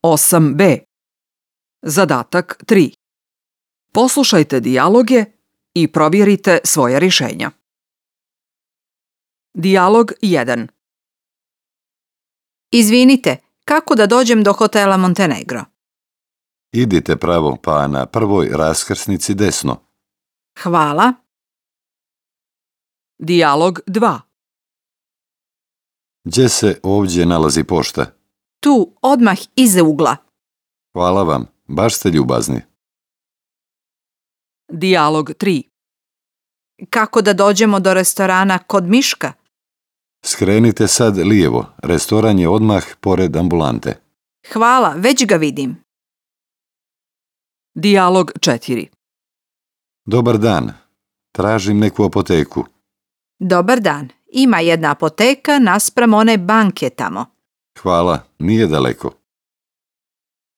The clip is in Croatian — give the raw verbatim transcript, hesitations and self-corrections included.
osam b. Zadatak tri. Poslušajte dijaloge i provjerite svoja rješenja. Dijalog jedan. Izvinite, kako da dođem do hotela Montenegro? Idite pravo, pa na prvoj raskrsnici desno. Hvala. Dijalog dva. Gdje se ovdje nalazi pošta? Tu, odmah iza ugla. Hvala vam, baš ste ljubazni. Dijalog tri. Kako da dođemo do restorana kod Miška? Skrenite sad lijevo, restoran je odmah pored ambulante. Hvala, već ga vidim. Dijalog četiri. Dobar dan, tražim neku apoteku. Dobar dan, ima jedna apoteka naspram one banke tamo. Hvala, nije daleko.